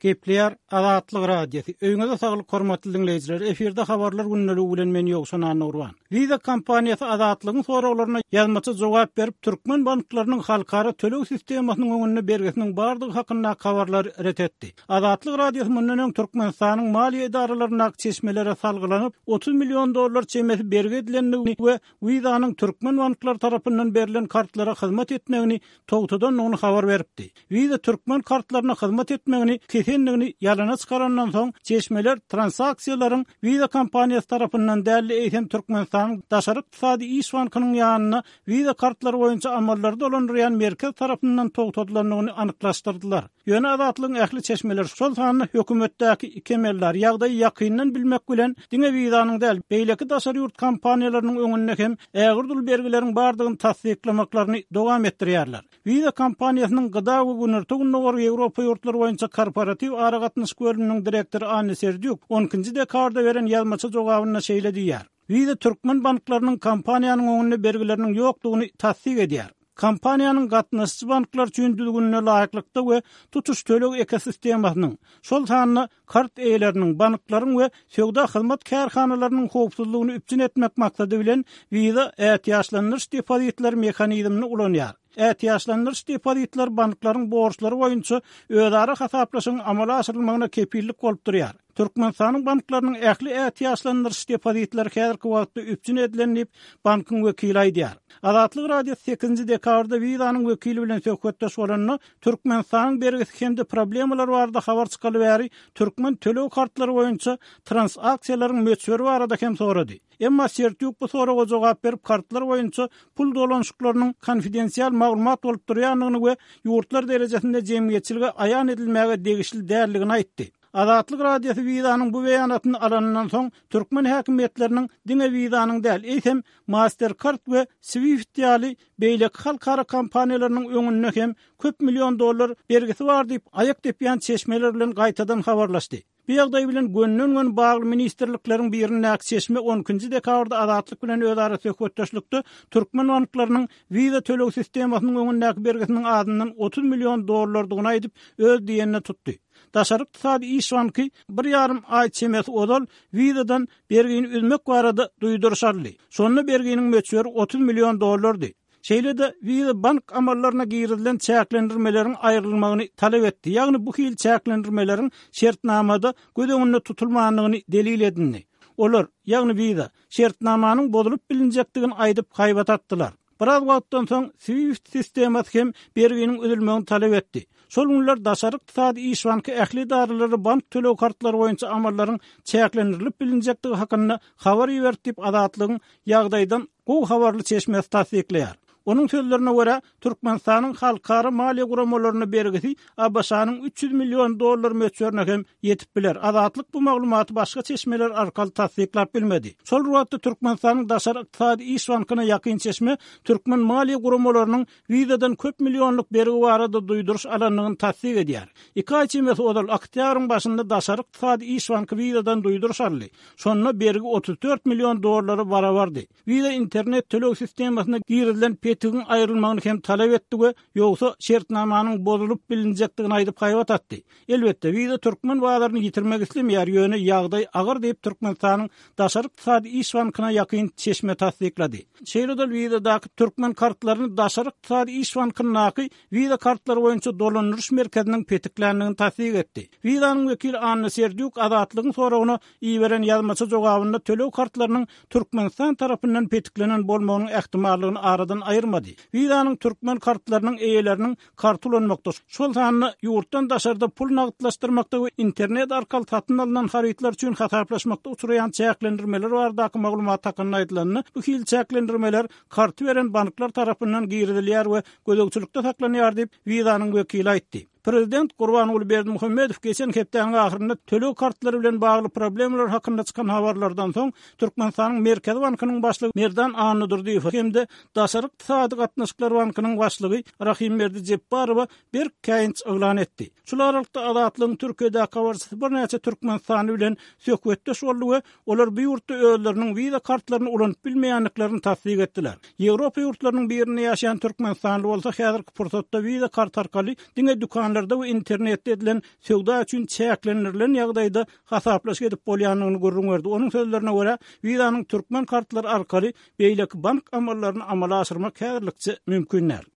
Gepleýär Azatlyk Radiosy. Öýüňize saglyk hormatly diňleýjiler. Efirde habarlar gündeligi bilen men Ýowşan Annagurban. Visa kompaniýasy Azatlygyň soraglaryna ýazmaça jogap berip, türkmen banklarynyň halkara töleg sistemasynyň öňünde bergisiniň bardygy hakyndaky habarlary ret etdi. Azatlyk Radiosy mundan öň Türkmenistanyň maliýe edaralaryndaky çeşmelere salgylanyp, 30 million dollar çemesi bergi edilendigini we Visa-nyň türkmen banklary tarapyndan berlen kartlara hyzmat etmegini togtadandygyny habar beripdi. Visa türkmen kartlaryna hyzmat etmegini kesendigini ýalana çykarandan soň, çeşmeler transaksiýalaryň Visa kompaniýasy tarapyndan däl-de, eýsem Türkmenistanyň Daşary ykdysady iş bankynyň ýanynda Visa kartlary boýunça amallary dolandyrýan merkez tarapyndan togtadylandygyny anyklaşdyrdylar. Ýöne Azatlygyň ähli çeşmeleri, şol sanda hökümetdäki iki emeldar ýagdaýy ýakyndan bilmek bilen, diňe Visa-nyň däl, beýleki daşary ýurt kompaniýalarynyň öňünde hem ägirt uly bergileriň bardygyny tassyklamaklaryny dowam etdirýärler. Visa kompaniýasynyň GDA we Günorta-Gündogar Ýewropa ýurtlary boýunça korporatiw aragatnaşyk bölüminiň direktory Anna Serdýuk on ikinji dekabrda beren ýazmaça jogabynda şeýle diýýär, Visa türkmen banklarynyň kompaniýanyň öňünde bergileriniň ýokdugyny tassyk edýär. Kompaniýanyň gatnaşyjy banklar üçin düzgünine laýyklykda we tutuş töleg ekosistemasynyň, şol sanda kart eýeleriniň, banklaryň we söwda hyzmat kärhanalarynyň howpsuzlygyny üpjün etmek maksady bilen Visa ätiýaçlandyryş depozitleri mehanizmini ulanýar. Ätiýaçlandyryş depozitleri banklaryň borçlary boýunça özara hasaplaşygyň amala aşyrylmagyna kepillik bolup durýar. Türkmenistanyň banklarynyň ähli ätiýaçlandyryş depozitleri häzirki wagtda üpjün edilen diýip, bankyň wekili aýdýar. Azatlyk Radiosy sekizinji dekabrda Visa-nyň wekili bilen söhbetdeş bolanda, Türkmenistanyň bergisi hem-de problemalar barada habar çykaly bäri türkmen töleg kartlary boýunça transaksiýalaryň möçberi barada hem sorady. Emma Sertýuk bu soraga jogap berip, kartlar boýunça pul dolanyşyklarynyň konfidensial maglumat bolup durýandygyny we ýurtlar derejesinde jemgyýetçilige aýan edilmäge degişli däldigini aýtdy. Azatlyk Radiosy Visa-nyň bu beýanatyny alanyndan soň, türkmen häkimiýetleriniň diňe Visa-nyň däl, eýsem, Mastercard we Swift ýaly beýleki halkara kompaniýalarynyň öňünde hem köp million dollar bergisi bar diýip, aýak depýän çeşmeler bilen gaýtadan habarlaşdy. Bu ýagdaý bilen gönden-göni bagly ministrlikleriň birindäki çeşme on ikinji dekabrda Azatlyk bilen özara söhbetdeşlikde türkmen banklarynyň Visa töleg sistemasynyň öňündäki bergisiniň azyndan 30 million dollardygyny aýdyp, öz diýenine tutdy. Daşary ykdysady iş banky bir ýarym aý çemesi ozal Visa-dan bergini üzmek barada duýduryş aldy. Şonda berginiň möçberi 30 million dollardy. Şeýle-de Visa bank amallaryna girizilen çäklendirmeleriň aýrylmagyny talap etdi, ýagny bu hili çäklendirmeleriň şertnamada göz öňünde tutulmandygyny delil edindi. Olar, ýagny Visa, şertnamanyň bozulyp bilinjekdigini aýdyp haýbat atdylar. Biraz wagtdan soň SWIFT sistemasy hem berginiň üzülmegini talap etdi. Şol günler Daşary ykdysady iş banky ähli edaralara bank töleg kartlary boýunça amallaryň çäklendirilip bilinjekdigi hakynda habar iberdi diýip, Azatlygyň ýagdaýdan gowy habarly çeşmesi tassyklaýar. Onuň sözlerine görä, Türkmenistanyň halkara maliýe guramalaryna bergisi ABŞ-nyň 300 million dollar möçberine hem ýetip biler. Azatlyk bu maglumaty başga çeşmeler arkaly tassyklap bilmedi. Şol bir wagtda, Türkmenistanyň Daşary ykdysady iş bankyna ýakyn çeşme türkmen maliýe guramalarynyň Vizadan köp millionlyk bergi barada duýduryş alandygyny tassyk edýär. Iki aý çemesi ozal, oktýabryň başynda Daşary ykdysady iş banky Vizadan duýduryş aldy. Şonda bergi 34 million dollara barabardy. Visa internet töleg sistemasyna girizilen petigiň aýrylmagyny hem talap etdi we ýogsa şertnamanyň bozulyp bilinjekdigini aýdyp haýbat atdy. Elbetde, Visa türkmen bazaryny ýitirmek islemeýär, ýöne ýagdaý agyr diýip, Türkmenistanyň Daşary ykdysady iş bankyna ýakyn çeşme tassyklady. Şeýle-de Visadaky türkmen kartlaryny Daşary ykdysady iş bankyndaky Visa kartlary boýunça dolandyryş merkeziniň petikländigini tassyk etdi. Visanyň wekili Anna Serdýuk Azatlygyň soragyna iberen ýazmaça jogabynda töleg kartlarynyň Türkmenistan tarapyndan petiklenen bolmagynyň ähtimallygyny aradan aýyrmady. Visa-nyň türkmen kartlarynyň eýeleriniň karty ulanmakda, şol sanda ýurtdan daşarda pul nagtlaşdyrmakda we internet arkaly satyn alnan harytlar üçin hasaplaşmakda uçraýan çäklendirmeler baradaky maglumat hakynda aýdylanda, bu hili çäklendirmeler karty beren banklar tarapyndan girizilýär we gözegçilikde saklanýar diýip, Visa-nyň wekili aýtdy. Prezident Gurbanguly Berdimuhamedow geçen hepdäniň ahyrynda töleg kartlary bilen bagly problemalar hakynda çykan habarlardan soň, Türkmenistanyň Merkezi bankynyň başlygy Merdan Annadurdyýewe hem-de Daşary ykdysady gatnaşyklar bankynyň başlygy Rahymberdi Jepbarowa berk käýinç yglan etdi. Şul aralykda, Azatlygyň Türkiýedäki habarçysy birnäçe türkmenistanly bilen söhbetdeş boldy we olar bu ýurtda özleriniň wiza kartlaryny ulanyp bilmeýändiklerini tassyk etdiler. Ýewropa ýurtlarynyň birinde ýaşaýan türkmenistanly bolsa häzirki pursatda wiza karty arkaly diňe dükanlarda. Dükanlarda we internetde edilen söwda üçin çäklendirilen ýagdaýda hasaplaşyk edip bolýandygyny gürrüň berdi. Onuň sözlerine görä, Visa-nyň türkmen kartlary arkaly beýleki bank amallaryny amala aşyrmak häzirlikçe mümkin däl.